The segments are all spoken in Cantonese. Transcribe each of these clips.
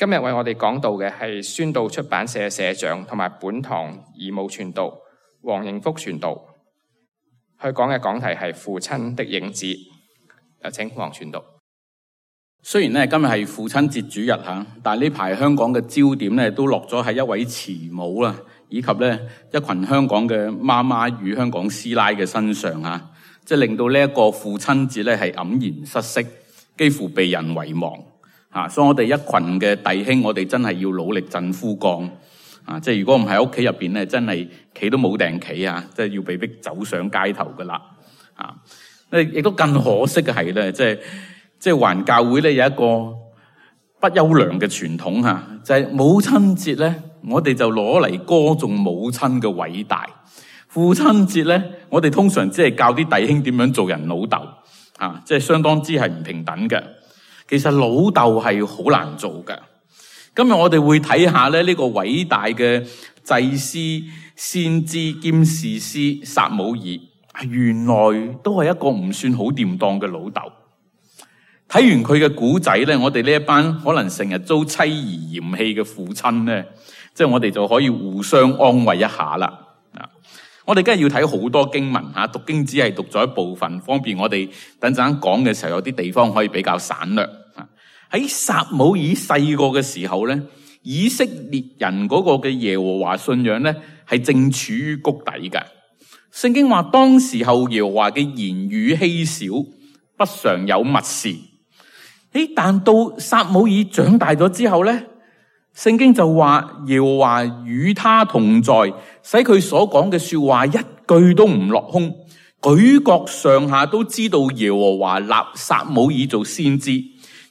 今日為我哋講道嘅係宣道出版社社長同埋本堂義務傳道黃應福傳道，佢講嘅講題係父親的影子。有請黃傳道。雖然咧今日係父親節主日吓，但係呢排香港嘅焦點咧都落咗喺一位慈母啦，以及咧一群香港嘅媽媽與香港師奶嘅身上吓，即係令到呢一個父親節咧係黯然失色，幾乎被人遺忘吓。所以我哋一群嘅弟兄，我哋真係要努力振夫綱啊！即係如果唔喺屋企入邊咧，真係企都冇定企啊！即係要被逼走上街頭噶啦啊！亦都更可惜嘅係咧，即係華人教會咧有一個不優良嘅傳統吓，就係母親節咧，我哋就攞嚟歌頌母親嘅偉大；父親節咧，我哋通常只係教啲弟兄點樣做人老豆啊，即係相當之係唔平等嘅。其實老豆係好難做嘅。今日我哋會睇下咧呢個偉大嘅祭司、先知兼士師撒母耳，原來都係一個唔算好掂當嘅老豆。睇完佢嘅古仔咧，我哋呢一班可能成日遭妻兒嫌棄嘅父親咧，即係我哋就可以互相安慰一下啦。我哋梗係要睇好多經文吓，讀經只係讀咗一部分，方便我哋等陣講嘅時候有啲地方可以比較省略。喺撒母耳細個嘅時候咧，以色列人嗰個嘅耶和華信仰咧係正處於谷底嘅。聖經話當時候耶和華嘅言語稀少，不常有密事。但到撒母耳長大咗之後咧，聖經就話耶和華與他同在，使佢所講嘅說話一句都唔落空，舉國上下都知道耶和華立撒母耳做先知。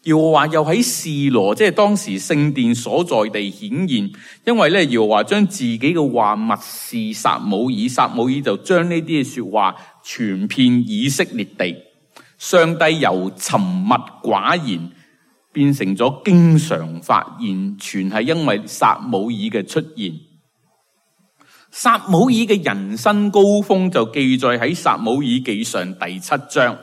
耶和華又喺示羅，即係當時聖殿所在地顯現，因為咧耶和華將自己嘅話默示撒母耳，撒母耳就將呢啲嘅說話傳遍以色列地。上帝由沉默寡言變成咗經常發言，全係因為撒母耳嘅出現。撒母耳嘅人生高峰就記載喺撒母耳記上第7章。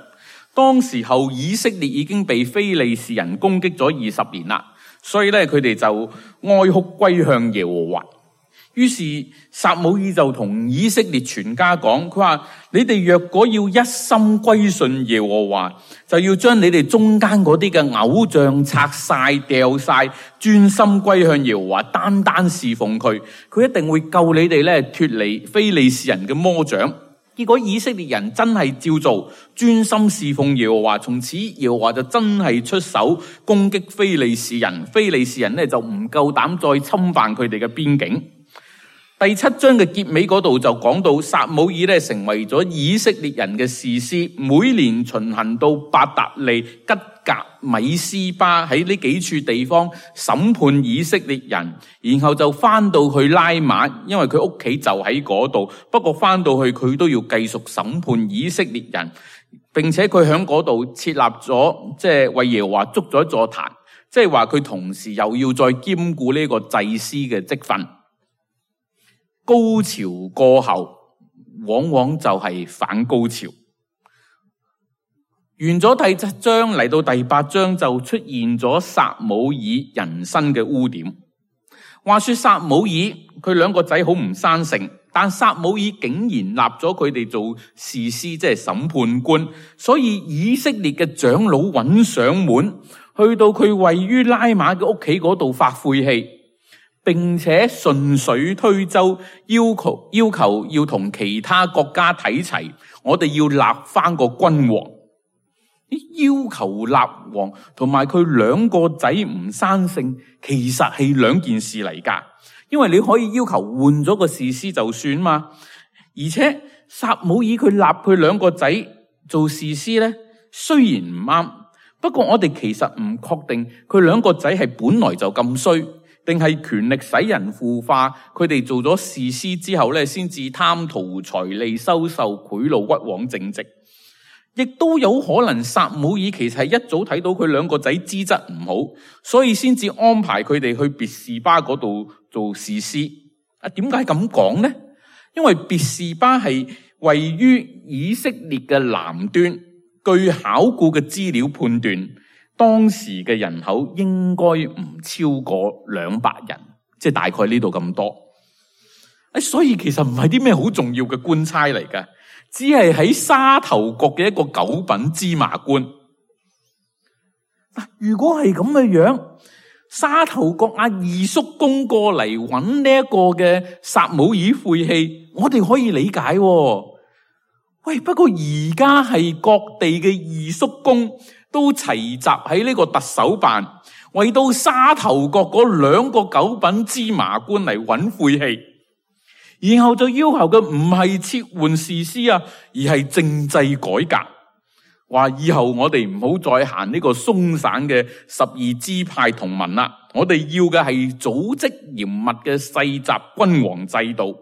當時候以色列已經被非利士人攻擊咗20年啦，所以咧佢哋就哀哭歸向耶和華。於是撒母耳就同以色列全家講，佢話你哋若果要一心歸順耶和華，就要將你哋中間嗰啲嘅偶像拆晒掉晒，專心歸向耶和華，單單侍奉佢，佢一定會救你哋咧脫離非利士人嘅魔掌。結果以色列人真係照做，專心侍奉耶和華，從此耶和華就真係出手攻擊非利士人，非利士人咧就唔夠膽再侵犯佢哋嘅邊境。第7章嘅結尾嗰度就講到撒母耳咧成為咗以色列人嘅士師，每年巡行到伯特利、吉甲、米斯巴喺呢幾處地方審判以色列人，然後就翻到去拉馬，因為佢屋企就喺嗰度。不過翻到去佢都要繼續審判以色列人，並且佢喺嗰度設立咗，即係為耶和華築咗一座壇，即係話佢同時又要再兼顧呢個祭司嘅職分。高潮過後，往往就係反高潮。完咗第7章，嚟到第8章就出現咗撒母耳人生嘅污點。話說撒母耳佢兩個仔好唔生性，但撒母耳竟然立咗佢哋做士師，即係審判官，所以以色列嘅長老揾上門，去到佢位於拉馬嘅屋企嗰度發晦氣，並且順水推舟，要求要同其他國家睇齊，我哋要立翻個君王。要求立王同埋佢兩個仔唔生性，其實係兩件事嚟噶。因為你可以要求換咗個士師就算嘛，而且撒母耳佢立佢兩個仔做士師咧，雖然唔啱，不過我哋其實唔確定佢兩個仔係本來就咁衰，定係權力使人腐化，佢哋做咗士師之後咧，先至貪圖財利、收受賄賂、屈枉正直。亦都有可能撒母耳其實係一早睇到佢兩個仔資質唔好，所以先至安排佢哋去別是巴嗰度做士師。點解咁講呢？因為別是巴係位於以色列嘅南端，據考古嘅資料判斷，當時嘅人口應該唔超過200人，即係大概呢度咁多。所以其實唔係啲咩好重要嘅官差嚟㗎，只係喺沙頭角嘅一個九品芝麻官。如果係咁嘅樣，沙頭角阿二叔公過嚟揾呢一個嘅撒母耳晦氣，我哋可以理解喎。喂，不過而家係各地嘅二叔公都齊集喺呢個特首辦，為到沙頭角嗰2個九品芝麻官嚟揾晦氣，然後就要求嘅唔係撤換士師啊，而係政制改革。話以後我哋唔好再行呢個鬆散嘅12支派同盟啦，我哋要嘅係組織嚴密嘅世襲君王制度。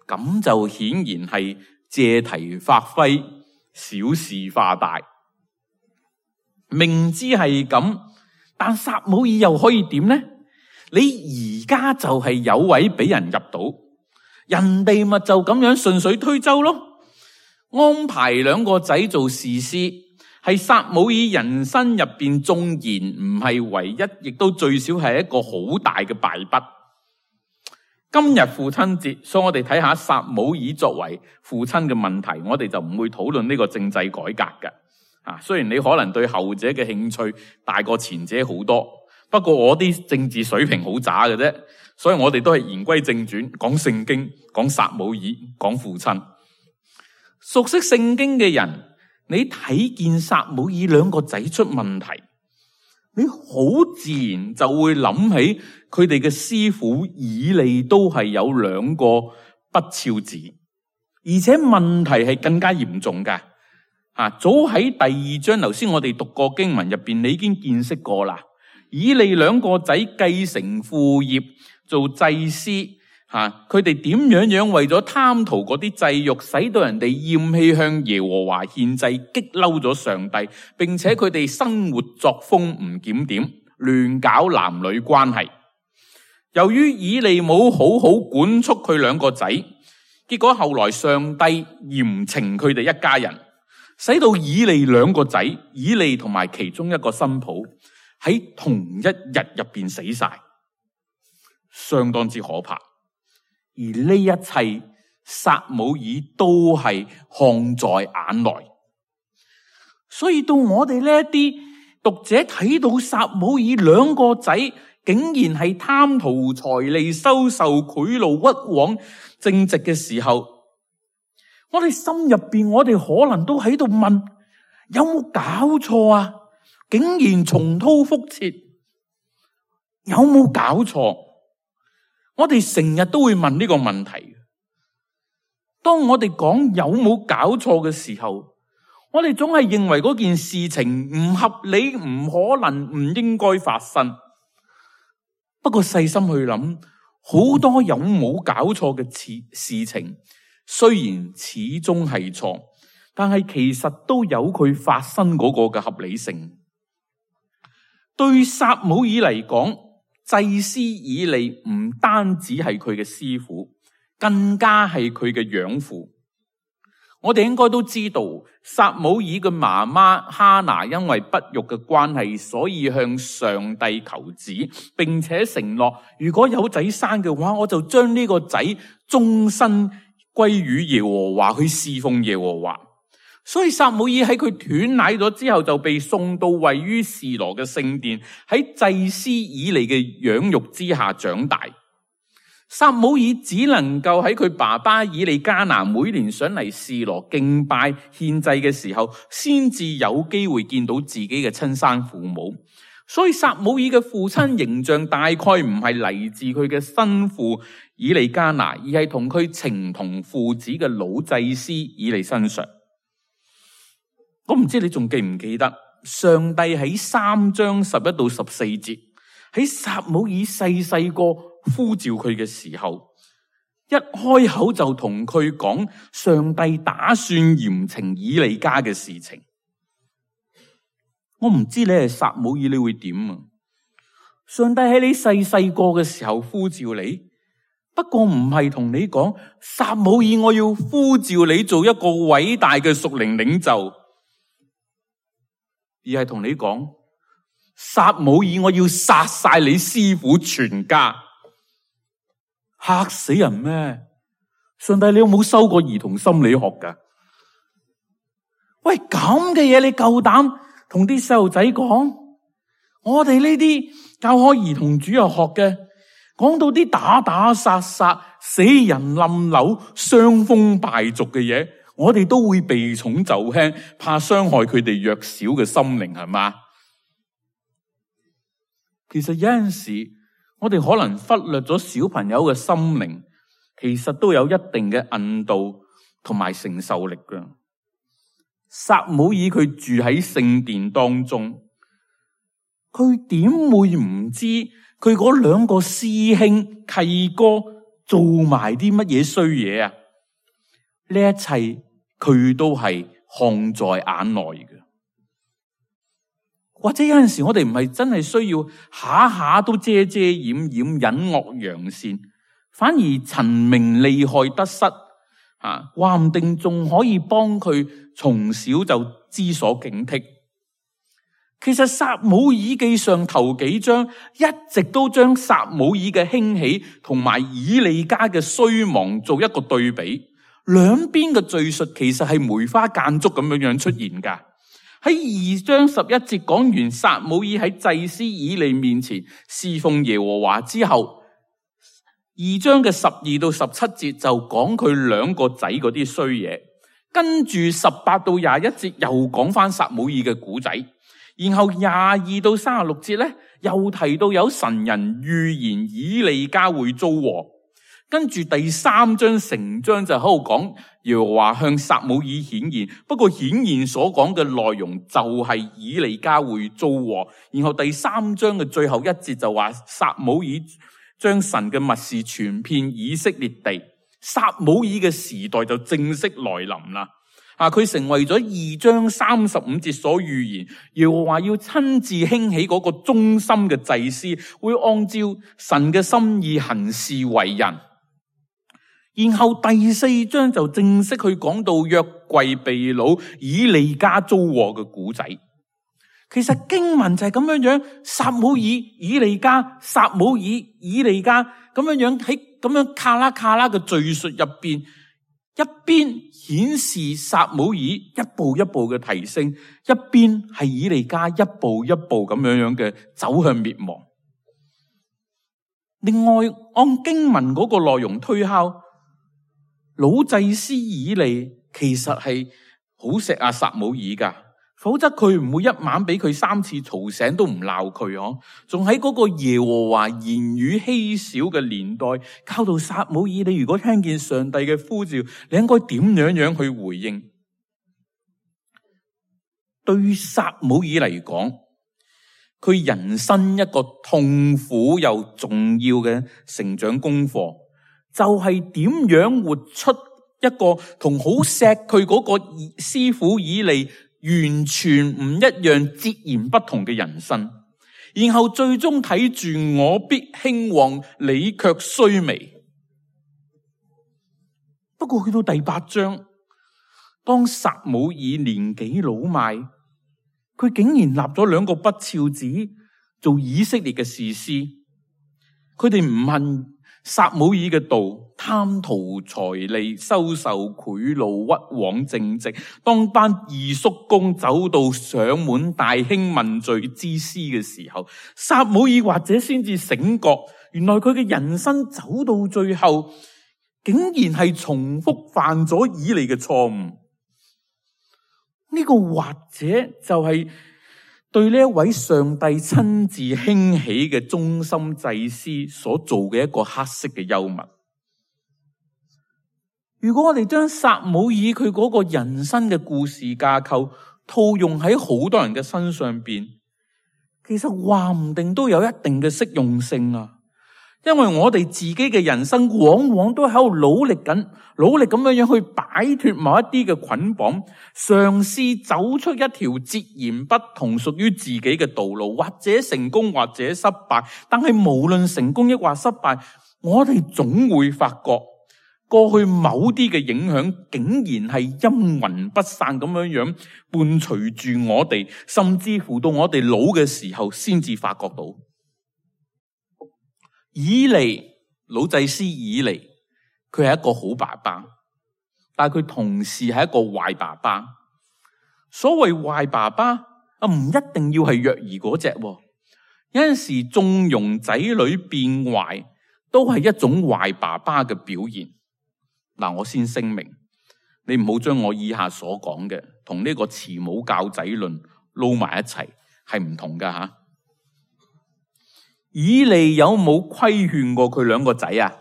咁就顯然係借題發揮，小事化大。明知係咁，但撒母耳又可以點呢？你而家就係有位俾人入到，人哋咪就咁樣順水推舟咯。安排2個仔做士師，係撒母耳人生入邊縱然唔係唯一，亦都最少係一個好大嘅敗筆。今日父親節，所以我哋睇下撒母耳作為父親嘅問題，我哋就唔會討論呢個政制改革嘅。雖然你可能對後者嘅興趣大過前者好多，不過我啲政治水平好渣嘅啫，所以我哋都係言歸正傳，講聖經，講撒母耳，講父親。熟悉聖經嘅人，你睇見撒母耳2個仔出問題，你好自然就會諗起佢哋嘅師傅以利都係有2個不肖子，而且問題係更加嚴重㗎。早喺第2章，頭先我哋讀過經文入邊，你已經見識過啦。以利2個仔繼承父業做祭司，佢哋點樣為咗貪圖嗰啲祭肉，使到人哋厭棄向耶和華獻祭，激嬲咗上帝，並且佢哋生活作風唔檢點，亂搞男女關係。由於以利冇好好管束佢2個仔，結果後來上帝嚴懲佢哋一家人，使到以利2個仔，以利同埋其中一個新抱喺同一日入邊死晒，相當之可怕。而呢一切，撒母耳都係看在眼內。所以到我哋呢一啲讀者睇到撒母耳2個仔竟然係貪圖財利、收受賄賂、屈枉正直嘅時候，我哋心入邊，我哋可能都喺度問：有冇搞錯啊？竟然重蹈覆轍，有冇搞錯？我哋成日都會問呢個問題。當我哋講有冇搞錯嘅時候，我哋總係認為嗰件事情唔合理、唔可能、唔應該發生。不過細心去諗，好多有冇搞錯嘅事情，雖然始終係錯，但係其實都有佢發生嗰個嘅合理性。對撒母耳嚟講，祭司以利唔單止係佢嘅師傅，更加係佢嘅養父。我哋應該都知道，撒母耳嘅媽媽哈拿因為不育嘅關係，所以向上帝求子，並且承諾如果有仔生嘅話，我就將呢個仔終身歸於耶和華，去侍奉耶和華。所以撒母耳喺佢斷奶咗之後，就被送到位於示羅嘅聖殿，喺祭司以利嘅養育之下長大。撒母耳只能夠喺佢爸爸以利加拿每年上嚟示羅敬拜獻祭嘅時候，先至有機會見到自己嘅親生父母。所以撒母耳嘅父親形象大概唔係嚟自佢嘅生父以利加拿，而係同佢情同父子嘅老祭司以利身上。我唔知你仲記唔記得，上帝喺3章11到14節，喺撒母耳細個呼召佢嘅時候，一開口就同佢講上帝打算嚴懲以利家嘅事情。我唔知你係撒母耳你會點啊？上帝喺你細個嘅時候呼召你，不過唔係同你講撒母耳，我要呼召你做一個偉大嘅屬靈領袖。而係同你講，撒母耳，我要殺晒你師傅全家。嚇死人咩？上帝，你有冇修過兒童心理學噶？喂，咁嘅嘢你夠膽同啲細路仔講？我哋呢啲教開兒童主日學嘅，講到啲打打殺殺、死人冧樓、傷風敗俗嘅嘢，我哋都會避重就輕，怕傷害佢哋弱小嘅心靈，係嘛？其實有陣時，我哋可能忽略咗小朋友嘅心靈，其實都有一定嘅韌度同埋承受力㗎。撒母耳佢住喺聖殿當中，佢點會唔知佢嗰兩個師兄契哥做埋啲乜嘢衰嘢啊？呢一切佢都係看在眼內嘅。或者有陣時我哋唔係真係需要下下都遮遮掩掩、隱惡揚善，反而陳明利害得失，話唔定仲可以幫佢從小就知所警惕。其實撒母耳記上頭幾章一直都將撒母耳嘅興起同埋以利家嘅衰亡做一個對比，兩邊嘅敘述其實係梅花間竹咁樣出現噶。喺2章11節講完撒母耳喺祭司以利面前侍奉耶和華之後，2章嘅12到17節就講佢兩個仔嗰啲衰嘢，跟住18到21節又講翻撒母耳嘅古仔，然後22到36節咧又提到有神人預言以利家會遭禍，跟住第3章成章就喺度講耶和華向撒母耳顯現，不過顯現所講嘅內容就係以利家會遭禍，然後第3章嘅最後一節就話撒母耳將神嘅密事傳遍以色列地，撒母耳嘅時代就正式來臨啦。佢成為咗2章35節所預言，耶和華要親自興起嗰個忠心嘅祭司，會按照神嘅心意行事為人。然後第4章就正式去講到約櫃被擄、以利家遭禍嘅古仔。其實經文就係咁樣樣，撒母耳、以利家、撒母耳、以利家咁樣樣喺咁樣卡拉卡拉嘅敘述入邊，一邊顯示撒母耳一步一步嘅提升，一邊係以利家一步一步咁樣樣嘅走向滅亡。另外按經文嗰個內容推敲，老祭司以利其實係好錫阿撒母耳噶，否則佢唔會一晚俾佢3次嘈醒都唔鬧佢哦。仲喺嗰個耶和華言語稀少嘅年代，教導撒母耳，你如果聽見上帝嘅呼召，你應該點樣去回應？對於撒母耳嚟講，佢人生一個痛苦又重要嘅成長功課，就係點樣活出一個同好錫佢嗰個師傅以利完全唔一樣、截然不同嘅人生，然後最終睇住我必興旺，你卻衰微。不過去到第8章，當撒母耳年紀老邁，佢竟然立咗2個不肖子做以色列嘅士師，佢哋唔問撒母耳嘅道，貪圖財利，收受賄賂，屈枉正直。當班二叔公走到上門大興問罪之師嘅時候，撒母耳或者先至醒覺，原來佢嘅人生走到最後，竟然係重複犯咗以利嘅錯誤。呢個或者就係對呢一位上帝親自興起嘅忠心祭司所做嘅一個黑色嘅幽默。如果我哋將撒母耳佢嗰個人生嘅故事架構套用喺好多人嘅身上邊，其實話唔定都有一定嘅適用性啊！因為我哋自己嘅人生往往都喺度努力咁樣去擺脫某一啲嘅捆綁，嘗試走出一條截然不同屬於自己嘅道路，或者成功或者失敗。但係無論成功抑或失敗，我哋總會發覺過去某啲嘅影響竟然係陰魂不散咁樣伴隨住我哋，甚至乎到我哋老嘅時候先至發覺到。以利，老祭司以利，佢係一個好爸爸，但係佢同時係一個壞爸爸。所謂壞爸爸唔一定要係虐兒嗰隻，有陣時縱容仔女變壞都係一種壞爸爸嘅表現。嗱，我先聲明，你唔好將我以下所講嘅同呢個慈母教仔論撈埋一齊，係唔同噶吓。以利有冇規勸過佢兩個仔啊？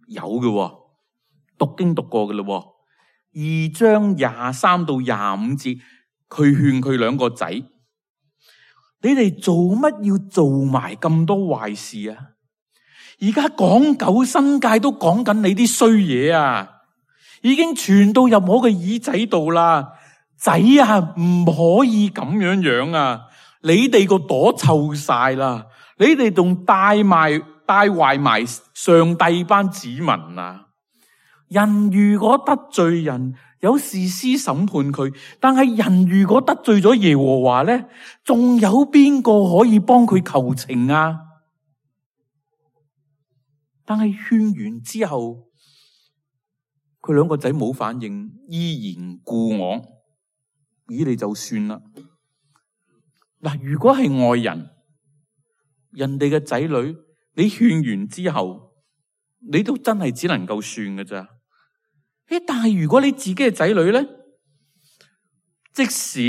有嘅，讀經讀過嘅咯。2章23到25節，佢勸佢兩個仔：你哋做乜要做埋咁多壞事啊？而家港九新界都講緊你啲衰嘢啊，已經傳到入我嘅耳仔度啦。仔啊，唔可以咁樣啊！你哋個朵臭晒啦，你哋仲帶壞埋上帝班子民啊！人如果得罪人，有士師審判佢，但係人如果得罪咗耶和華咧，仲有邊個可以幫佢求情啊？但係勸完之後，佢兩個仔冇反應，依然故我，以利就算啦。嗱，如果係外人，人哋嘅仔女，你勸完之後，你都真係只能夠算㗎咋。但係如果你自己嘅仔女咧，即使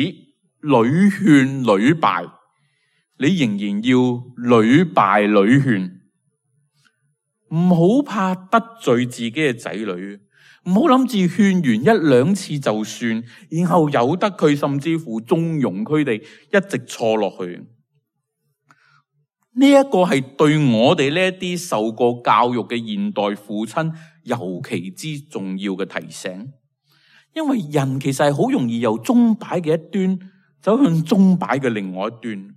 屢勸屢敗，你仍然要屢敗屢勸。唔好怕得罪自己嘅仔女，唔好諗住勸完1、2次就算，然後由得佢，甚至乎縱容佢哋一直錯落去。呢一個係對我哋呢一啲受過教育嘅現代父親尤其之重要嘅提醒，因為人其實係好容易由鐘擺嘅一端走向鐘擺嘅另外一端。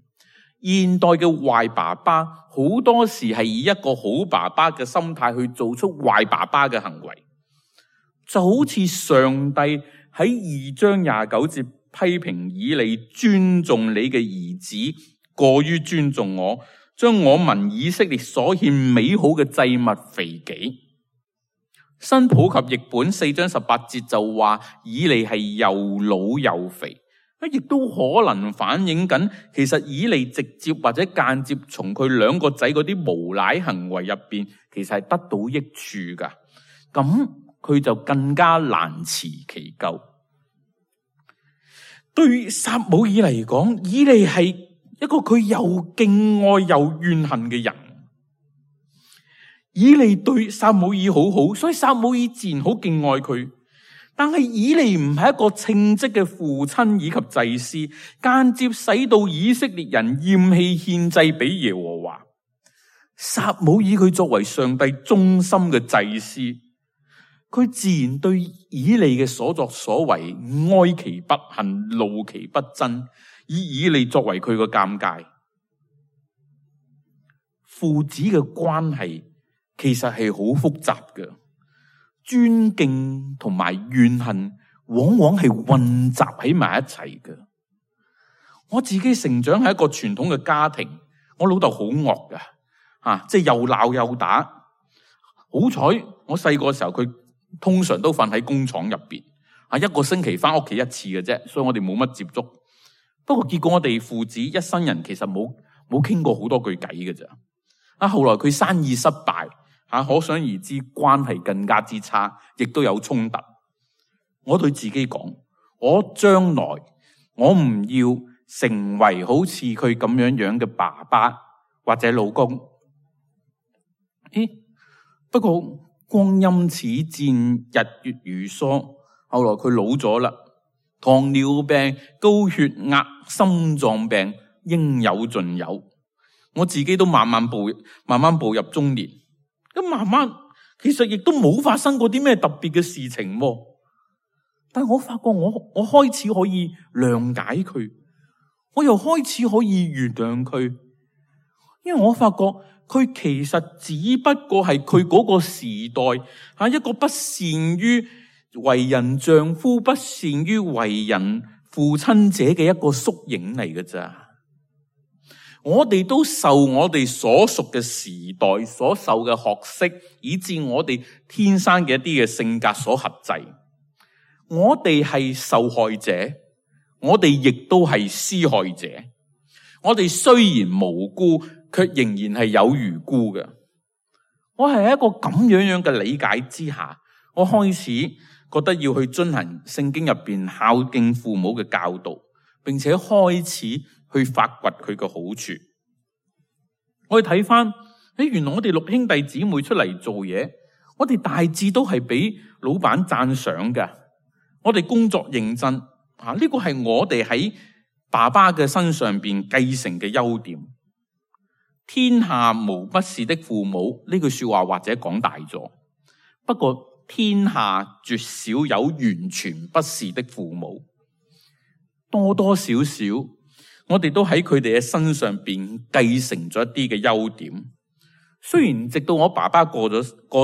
現代嘅壞爸爸好多時係以一個好爸爸嘅心態去做出壞爸爸嘅行為，就好似上帝喺2章29節批評以利尊重你嘅兒子過於尊重我，將我民以色列所獻美好嘅祭物肥己。新普及譯本4章18節就話以利係又老又肥，亦都可能反映緊其實以利直接或者間接從佢兩個仔嗰啲無賴行為入邊，其實係得到益處噶。咁佢就更加難辭其咎。對撒母耳嚟講，以利係一個佢又敬愛又怨恨嘅人。以利對撒母耳好好，所以撒母耳自然好敬愛佢。但係以利唔係一個稱職嘅父親以及祭司，間接使到以色列人厭棄獻祭俾耶和華。撒母耳佢作為上帝忠心嘅祭司，佢自然對以利嘅所作所為哀其不幸，怒其不爭，以以利作為佢個鑒戒。父子嘅關係其實係好複雜嘅。尊敬同埋怨恨往往係混雜喺埋一齊嘅。我自己成長喺一個傳統嘅家庭，我老豆好惡㗎，即係又鬧又打。好彩我細個時候佢通常都瞓喺工廠入邊，一個星期翻屋企1次嘅啫，所以我哋冇乜接觸。不過結果我哋父子一生人其實冇傾過好多句偈嘅咋。後來佢生意失敗。可想而知，關係更加之差，亦都有衝突。我對自己講，我將來我唔要成為好似佢咁樣嘅爸爸或者老公。不過光陰似箭，日月如梭。後來佢老咗啦，糖尿病、高血壓、心臟病應有盡有。我自己都慢慢步入中年。咁慢慢，其實亦都冇發生過啲咩特別嘅事情，但係我發覺我開始可以諒解佢，我又開始可以原諒佢，因為我發覺佢其實只不過係佢嗰個時代一個不善於為人丈夫、不善於為人父親者嘅一個縮影嚟嘅咋。我哋都受我哋所屬嘅時代所受嘅學識，以致我哋天生嘅一啲嘅性格所轄制。我哋係受害者，我哋亦都係施害者。我哋雖然無辜，卻仍然係有餘辜嘅。我係一個咁樣嘅理解之下，我開始覺得要去遵行聖經入邊孝敬父母嘅教導，並且開始去發掘佢嘅好處。我哋睇翻，原來我哋六兄弟姊妹出嚟做嘢，我哋大致都係俾老闆讚賞嘅。我哋工作認真，呢個係我哋喺爸爸嘅身上邊繼承嘅優點。天下無不是的父母，呢句說話或者講大咗，不過天下絕少有完全不是的父母，多多少少我哋都喺佢哋嘅身上邊繼承咗一啲嘅優點。雖然直到我爸爸過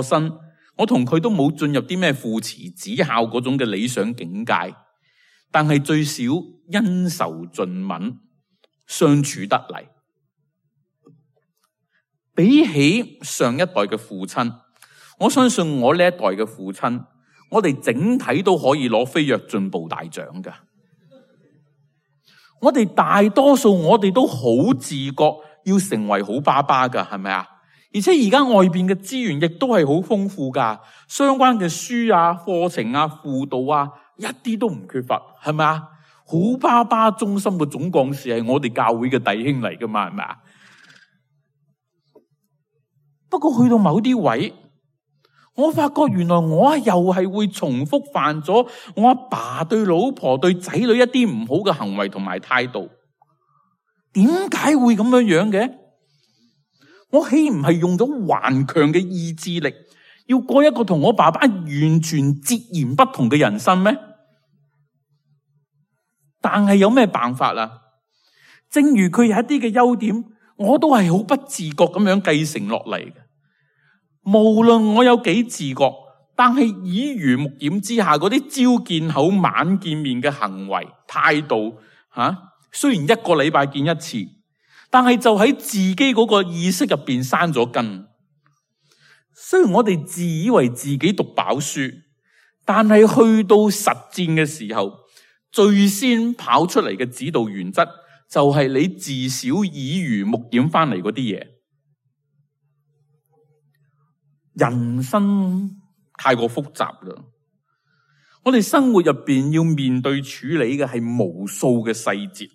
身，我同佢都冇進入啲咩父慈子孝嗰種嘅理想境界，但係最少恩仇盡泯，相處得嚟。比起上一代嘅父親，我相信我呢一代嘅父親，我哋整體都可以攞飛躍進步大獎㗎。我哋大多數我哋都好自覺要成為好爸爸㗎，係咪啊？而且而家外邊嘅資源亦都係好豐富㗎，相關嘅書啊、課程啊、輔導啊，一啲都唔缺乏，係咪啊？好爸爸中心嘅總幹事係我哋教會嘅弟兄嚟㗎嘛，係咪啊？不過去到某啲位，我發覺原來我又係會重複犯咗我阿爸對老婆對仔女一啲唔好嘅行為同埋態度。點解會咁樣嘅？我豈唔係用咗頑強嘅意志力，要過一個同我爸爸完全截然不同嘅人生咩？但係有咩辦法啊？正如佢有一啲嘅優點，我都係好不自覺咁樣繼承落嚟嘅。無論我有幾自覺，但係耳濡目染之下嗰啲朝見口晚見面嘅行為態度，雖然一個禮拜見一次，但係就喺自己嗰個意識入邊生咗根。雖然我哋自以為自己讀飽書，但係去到實戰嘅時候，最先跑出嚟嘅指導原則就係你至少耳濡目染翻嚟嗰啲嘢。人生太過複雜啦，我哋生活入邊要面對處理嘅係無數嘅細節，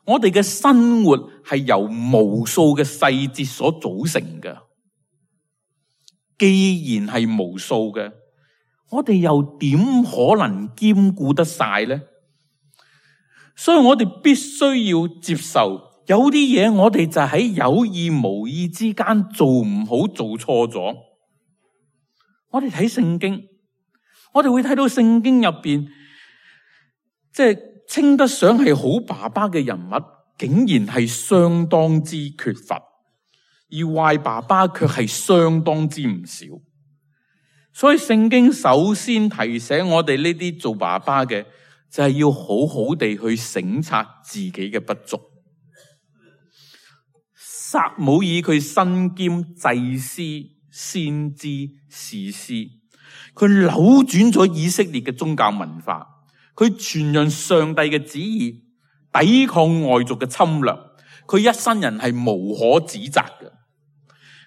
我哋嘅生活係由無數嘅細節所組成嘅。既然係無數嘅，我哋又點可能兼顧得晒呢？所以我哋必須要接受，有啲嘢我哋就喺有意無意之間做唔好，做錯咗。我哋睇聖經，我哋會睇到聖經入邊，即係稱得上係好爸爸嘅人物，竟然係相當之缺乏，而壞爸爸卻係相當之唔少。所以聖經首先提醒我哋呢啲做爸爸嘅，就係要好好地去省察自己嘅不足。撒母耳佢身兼祭司、先知、士師，佢扭轉咗以色列嘅宗教文化，佢傳揚上帝嘅旨意，抵抗外族嘅侵略，佢一生人係無可指責嘅。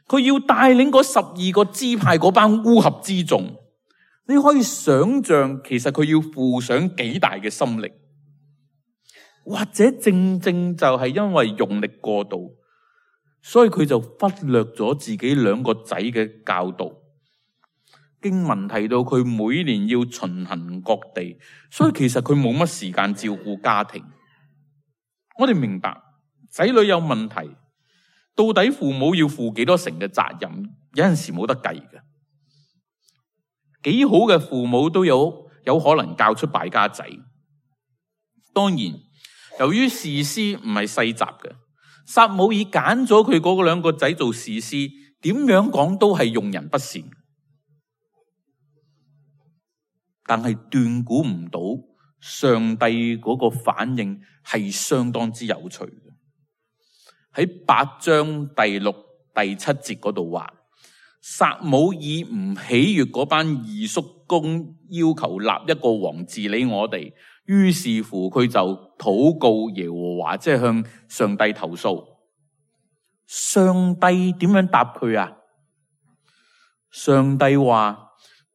佢要帶領嗰12個支派嗰班烏合之眾，你可以想象其實佢要付上幾大嘅心力，或者正正就係因為用力過度，所以佢就忽略咗自己2個仔嘅教導。經文提到佢每年要巡行各地，所以其實佢冇乜時間照顧家庭。我哋明白仔女有問題，到底父母要負幾多成嘅責任，有陣時冇得計嘅。幾好嘅父母都有可能教出敗家仔。當然，由於士師唔係世襲嘅，撒母耳揀咗佢嗰兩個仔做士師，點樣講都係用人不善。但係斷估唔到上帝嗰個反應係相當之有趣嘅。喺8章第6、第7節嗰度話，撒母耳唔喜悅嗰班二叔公要求立一個王治理我哋，於是乎佢就禱告耶和華，即係向上帝投訴。上帝點樣答佢啊？上帝話，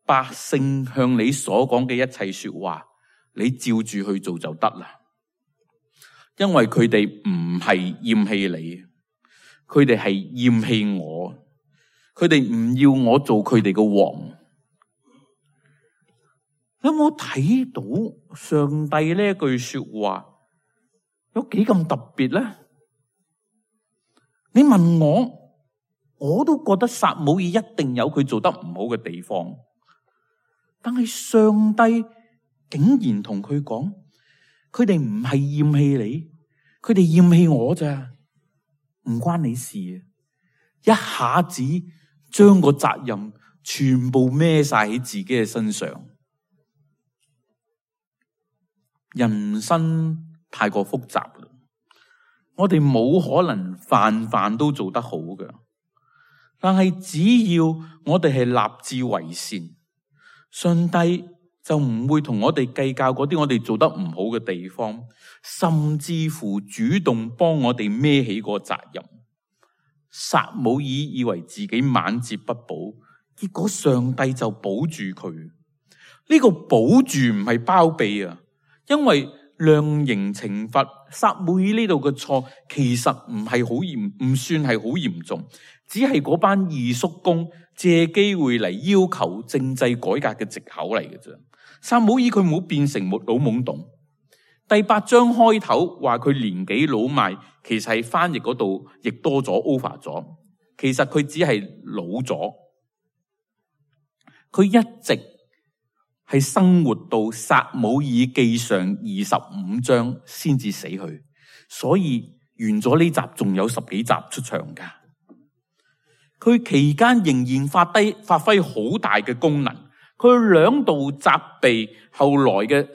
百姓向你所講嘅一切說話，你照住去做就得啦。因為佢哋唔係厭棄你，佢哋係厭棄我，佢哋唔要我做佢哋嘅王。有冇睇到上帝呢一句說話有幾咁特別咧？你問我都覺得撒母耳一定有佢做得唔好嘅地方，但係上帝竟然同佢講，佢哋唔係厭棄你，佢哋厭棄我咋，唔關你事啊！一下子將個責任全部孭晒喺自己嘅身上。人生太過複雜啦，我哋冇可能飯飯都做得好嘅。但係只要我哋係立志為善，上帝就唔會同我哋計較嗰啲我哋做得唔好嘅地方，甚至乎主動幫我哋孭起個責任。撒母耳以為自己晚節不保，結果上帝就保住佢。呢個保住唔係包庇啊，因為量刑懲罰撒母耳呢度嘅錯，其實唔係好嚴，唔算係好嚴重，只係嗰班二叔公借機會嚟要求政制改革嘅藉口嚟嘅啫。撒母耳佢冇變成老懵懂。第8章開頭話佢年紀老邁，其實係翻譯嗰度亦多咗 over 咗，其實佢只係老咗。佢一直係生活到撒母耳記上25章先至死去，所以完咗呢集仲有10幾集出場噶。佢期間仍然發揮好大嘅功能，佢2度責備後來嘅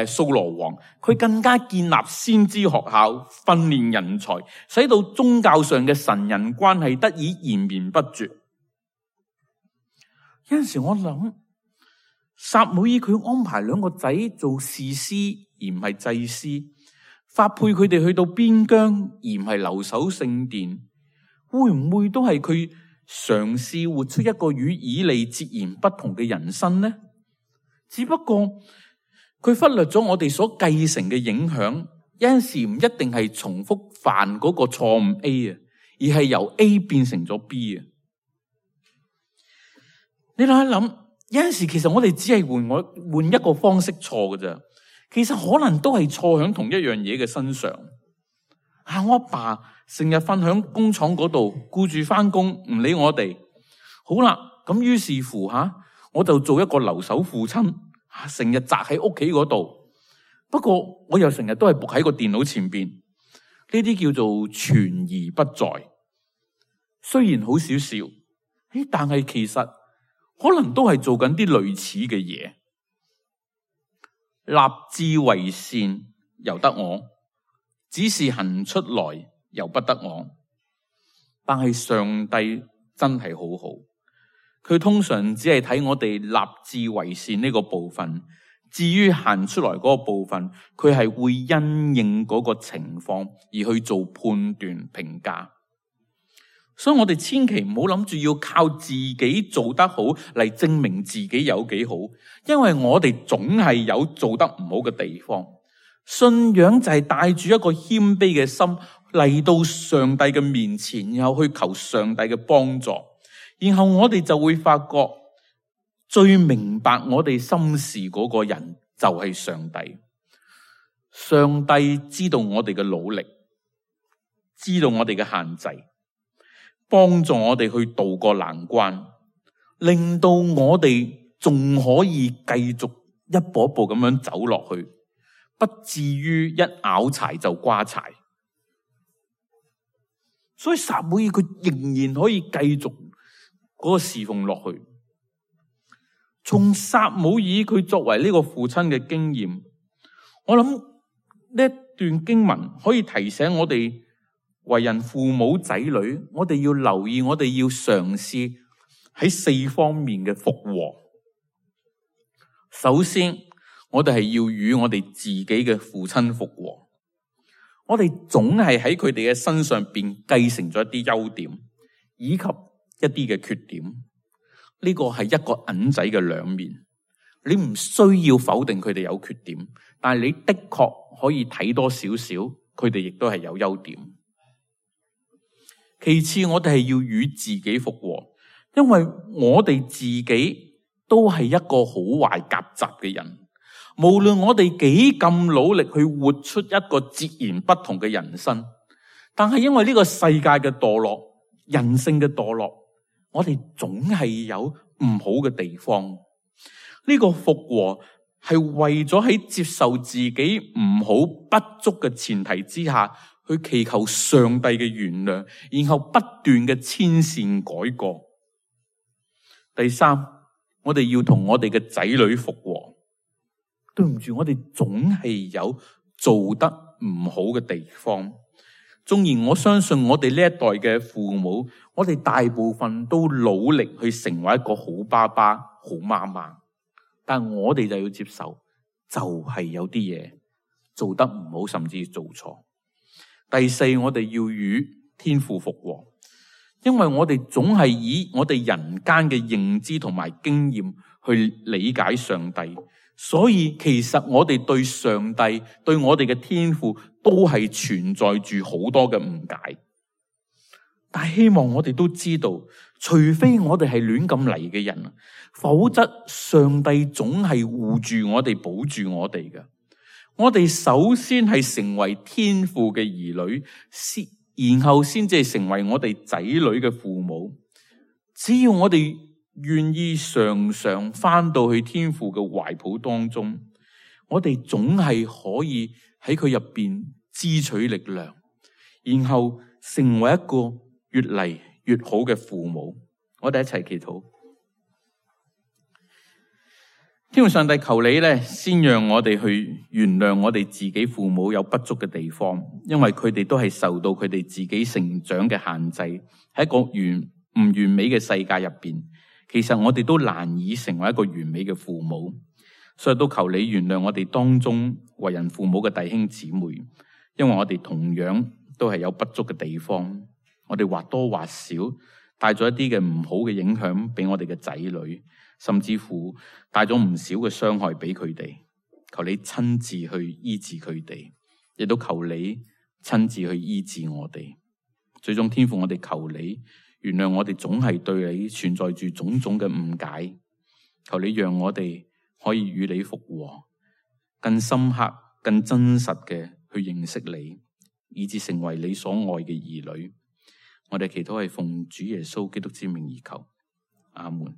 掃羅王，佢更加建立先知學校，訓練人才，使到宗教上嘅神人關係得以延綿不絕。有陣時我諗，撒母耳佢安排2個仔做士師而唔係祭司，發配佢哋去到邊疆而唔係留守聖殿，會唔會都係佢嘗試活出一個與以利截然不同嘅人生呢？只不過佢忽略咗我哋所繼承嘅影響，有陣時唔一定係重複犯嗰個錯誤 A 啊，而係由 A 變成咗 B 啊。你諗一諗，有陣時其實我哋只係換一個方式錯㗎咋，其實可能都係錯喺同一樣嘢嘅身上。我阿爸成日瞓響工廠嗰度，顧住翻工，唔理我哋。好啦，咁於是乎我就做一個留守父親，成日宅喺屋企嗰度。不過我又成日都係伏喺個電腦前邊，呢啲叫做存而不在。雖然好少少，但係其實可能都係做緊啲類似嘅嘢。立志為善由得我，只是行出來由不得我。但係上帝真係好好，佢通常只係睇我哋立志為善呢個部分，至於行出來嗰個部分，佢係會因應嗰個情況而去做判斷評價。所以我哋千祈唔好諗住要靠自己做得好嚟證明自己有幾好，因為我哋總係有做得唔好嘅地方。信仰就係帶住一個謙卑嘅心嚟到上帝嘅面前，然後去求上帝嘅幫助，然後我哋就會發覺最明白我哋心事嗰個人就係上帝。上帝知道我哋嘅努力，知道我哋嘅限制，幫助我哋去渡過難關，令到我哋仲可以繼續一步一步咁樣走落去，不至於一拗柴就瓜柴。所以撒母耳佢仍然可以繼續嗰個侍奉落去。從撒母耳佢作為呢個父親嘅經驗，我諗呢一段經文可以提醒我哋為人父母仔女，我哋要留意，我哋要嘗試喺4方面嘅復和。首先，我哋係要與我哋自己嘅父親復和。我哋總係喺佢哋嘅身上邊繼承咗一啲優點，以及一啲嘅缺點。呢個係一個銀仔嘅兩面。你唔需要否定佢哋有缺點，但係你的確可以睇多少少，佢哋亦都係有優點。其次，我哋係要與自己復和，因為我哋自己都係一個好壞夾雜嘅人。無論我哋幾咁努力去活出一個截然不同嘅人生，但係因為呢個世界嘅墮落，人性嘅墮落，我哋總係有唔好嘅地方。呢個復和係為咗喺接受自己唔好不足嘅前提之下，去祈求上帝嘅原諒，然後不斷嘅遷善改過。第三，我哋要同我哋嘅仔女復和。對唔住，我哋總係有做得唔好嘅地方。縱然我相信我哋呢一代嘅父母，我哋大部分都努力去成為一個好爸爸、好媽媽，但我哋就要接受，就係有啲嘢做得唔好，甚至做錯。第四，我哋要與天父復和，因為我哋總係以我哋人間嘅認知同埋經驗去理解上帝。所以其實我哋對上帝、對我哋嘅天父都係存在住好多嘅誤解。但係希望我哋都知道，除非我哋係亂咁嚟嘅人，否則上帝總係護住我哋、保住我哋嘅。我哋首先係成為天父嘅兒女，然後先至成為我哋仔女嘅父母。只要我哋願意常常返到去天父嘅懷抱當中，我哋總係可以喺佢入邊支取力量，然後成為一個越嚟越好嘅父母。我哋一齊祈禱。天父上帝，求你咧，先讓我哋去原諒我哋自己父母有不足嘅地方，因為佢哋都係受到佢哋自己成長嘅限制，喺一個唔完美嘅世界入邊。其實我哋都難以成為一個完美嘅父母，所以都求你原諒我哋當中為人父母嘅弟兄姊妹，因為我哋同樣都係有不足嘅地方，我哋或多或少帶咗一啲嘅唔好嘅影響俾我哋嘅仔女，甚至乎帶咗唔少嘅傷害俾佢哋。求你親自去醫治佢哋，亦都求你親自去醫治我哋。最終天父，我哋求你原諒我哋總係對你存在住種種嘅誤解，求你讓我哋可以與你復和，更深刻、更真實嘅去認識你，以致成為你所愛嘅兒女。我哋祈禱係奉主耶穌基督之名而求，阿門。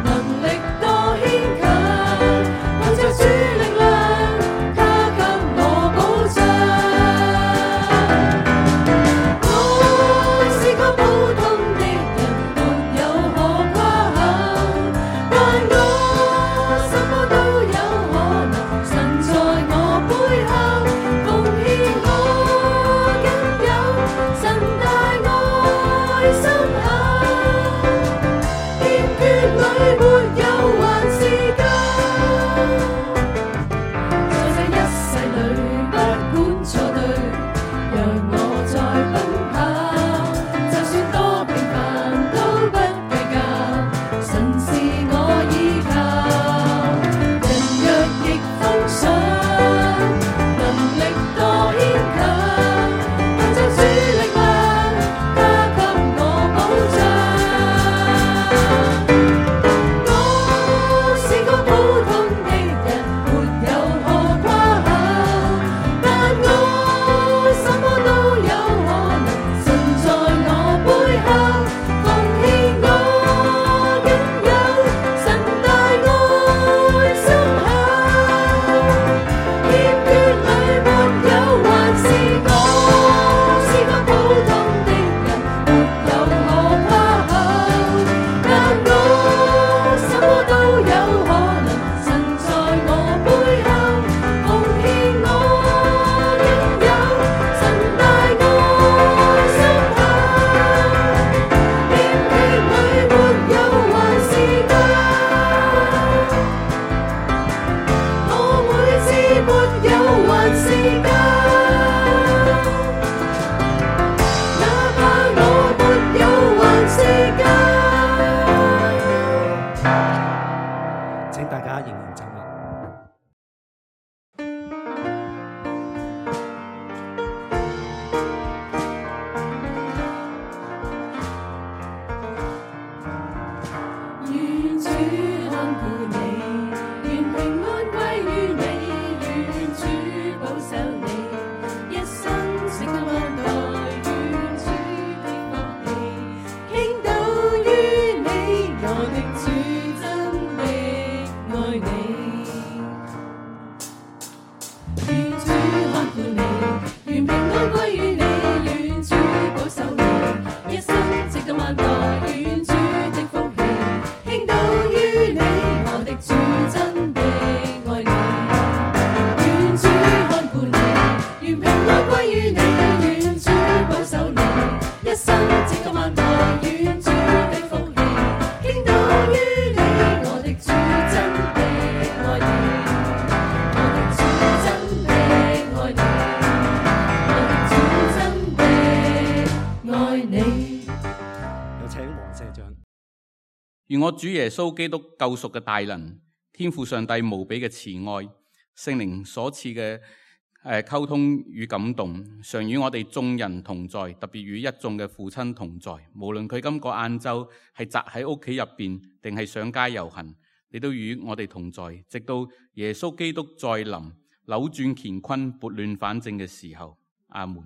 能力多牽強，憑着主力量。家仍然走啦。願主看顧你，願平安歸於你，願主保守你，一生承擔萬代，願主的福氣傾倒於你，我的主真的愛你。願主看顧你，願平安歸於你，願主保守你，一生承擔萬代，願主的福氣傾倒於你，我的主真的愛你。願主看顧你，願平安歸於你，願主保守你，一生承擔萬代，願主的福氣傾倒於你，我的主真的愛你，我的主真的愛你，我的主真的愛你。有請黃社長。願我主耶穌基督救贖嘅大能，天父上帝無比嘅慈愛，聖靈所賜嘅溝通與感動，常與我哋眾人同在，特別與一眾嘅父親同在。無論佢今個晏晝係宅喺屋企入邊，定係上街遊行，你都與我哋同在，直到耶穌基督再臨，扭轉乾坤，撥亂反正嘅時候。阿門。